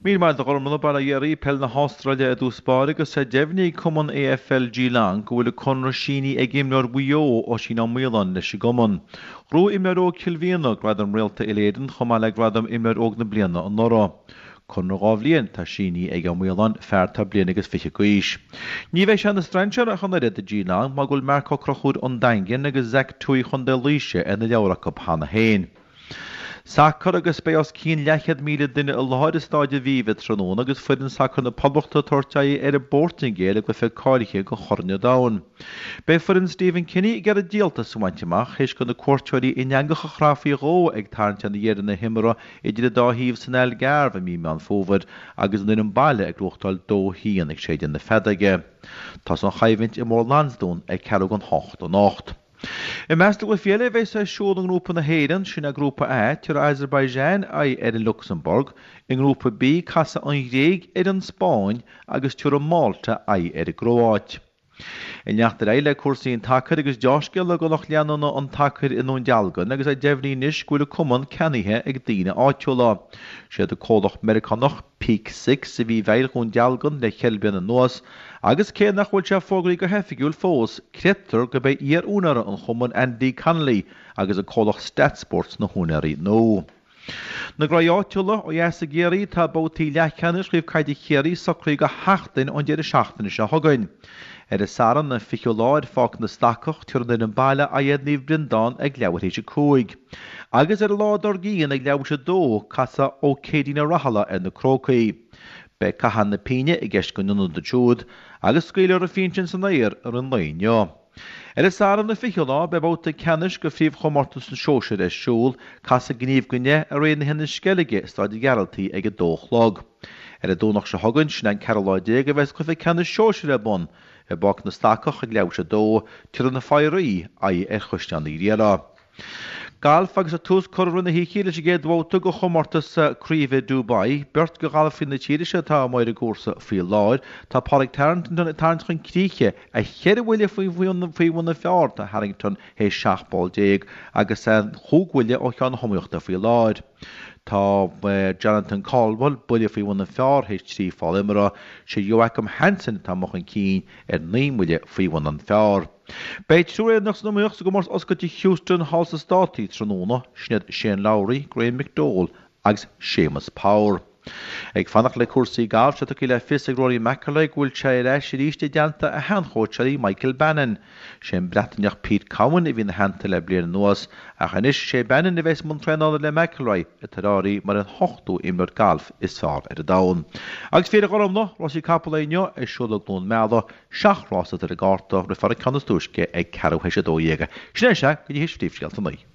Míle maith agat a Ghormfhlaith, bail ó Dhia oraibh, Peil na hAstráile i dtús báire agus é deimhnithe ag cumann AFL Geelong go bhfuil a conradh sínithe ag imreoir Mhaigh Eo, Oisín Ó Maoláin, leis an gcumann. Ghnóthaigh imreoir óg Chill Mhiadhna gradam Réalta Uile-Éireann chomh maith le gradam Imreoir Óg na Bliana anuraidh. Conradh 2 bhliain atá sínithe ag Ó Maoláin, fear atá bliain agus fiche d'aois. Ní bheidh sé ina strainséir ach an oiread do Geelong mar go bhfuil Marc Ó Conchúir ón Daingean agus Zach Tuohy Chontae Laoise ar na leabhair acu cheana féin. Sacar agus beidh os cionn leathchéad 1,000 duine i láthair i Stáid Aviva tráthnóna agus foireann sacair na Poblachta ag tabhairt aghaidh ar an bPortaingéil i gcluiche cáilithe do Chorn an Domhain. Beidh foireann Stephen Kenny ag iarraidh díoltas a bhaint amach théis do na cuairteoirí in eangach a chraith faoi dhó ag tarraingt ar dheireadh na himeartha idir an dá thaobh san Algarve i mí Meán Fómhair agus an fhoireann baile ag gnóthachtáil 2-1 ag séideadh na feadóige. Tosóidh an choimhlint i mBóthar Lansdún ag ceathrú don hocht anocht. I measc na gcluichí eile a bheas ar siúl i nGrúpa na hÉireann, sin é Grúpa A, tabharfaidh Azerbaijan aghaidh ar an Lucsamburg, i nGrúpa B, casfaidh an Ghréig ar an Spáinn agus tabharfaidh Málta aghaidh ar an gCróáit. Ag leanacht ar aghaidh le cúrsaí an tsacair agus deá-scéala do lucht leanúna an tsacair i nDún Dealgan agus é deimhnithe anois go bhfuil an cumann ceannaithe ag daoine áitiúla. Siad an comhlacht Meiriceánach Peak Six a bhí i bhfeighil Dhún Dealgan le cheithre bliana anuas agus cé nach bhfuil sé fógraithe go hoifigiúil fós, creidtear gurb é iar-úinéara an chumainn Andy Connolly agus an comhlacht StatSports na húinéirí nua. Na gnóthaí áitiúla ó dheas i gCiarraí, tá babhtaí leathcheannais Chraobh Caide Chiarraí socraithe do sheachtain ón deireadh seachtaine seo chugainn. Ar an Satharn an 20ú lá ar Pháirc na Stacach, tabharfaidh an fhoireann baile aghaidh ar Naomh Breandán ag leathuair théis 5. Agus ar an lá dár gcionn ag leathuair théis 2, casfaidh Ó Céidean Ó Rathaille ar na Crócaigh. Beidh caitheamh na pínne i gceist go n-ionadaithe siúd agus scaoilfear an phínn sin san aer i rith an lae inniu. Ar an Satharn an 20ú lá, beidh babhta ceannais de phríomhchomórtas na sóisear ar siúl, casfaidh Gníomh go Neith ar aghaidh na hInis Sceilge i Staid an Ghearaltaigh ag a dó a chlog. Ar an Domhnach seo chugainn, sin an ceathrú lá déag, a bheas cluiche ceannais sóisir ar bun i bPáirc na Stacach ag leathuair théis a dó, tabharfaidh na Foraí aghaidh ar Chaisleán Uí Riada. Galf agus tús curtha i rith na hoíche leis an gcéad bhabhta de chomórtas craoibhe Dubai. Beirt de ghalfaithe na tíre seo atá amuigh ar an gcúrsa faoi láthair. Tá Pádraig Harrington ag tarraingt chun críche a cheithre bhuille faoi bhun an phar. Tá Harrington théis 17 poll agus é chúig bhuille ó cheann na hiomaíochta faoi láthair. Tá Jonathan Caldwell buille faoi bhun an phar théis 3 pholl imeartha. Sé Joachim Hansen atá amuigh chun cinn ar naoi mbuille faoi bhun an phar. Beidh triúr Éireannach san iomaíocht sa gcomórtas oscailte Houston thall sna Státaí tráthnóna, sin iad Shane Lowry, Graham McDowell agus Séamus Power. Ag fanacht le cúrsaí gailf, tá tugtha le fios ag Rory McIlroy go bhfuil sé ar ais arís i dteannta a sheanchóitseálaí Michael Bannon. Sé an Breataineach Pete Cowan a bhí ina theannta le bliain anuas, ach anois sé Bannon a bheas i mbun traenála le McIlroy, atá ar áireamh mar an hochtú imreoir gailf is fearr ar an domhan. Agus Féile Ghormfhlaith, rásaí capall inniu ar siúl i gCluain Meala, Seacht rás atá ar an gcárta, rithfear an ceann is túisce ag ceathrú théis 12. Sin é sea, go dtí théis phríomhscéalta a naoi.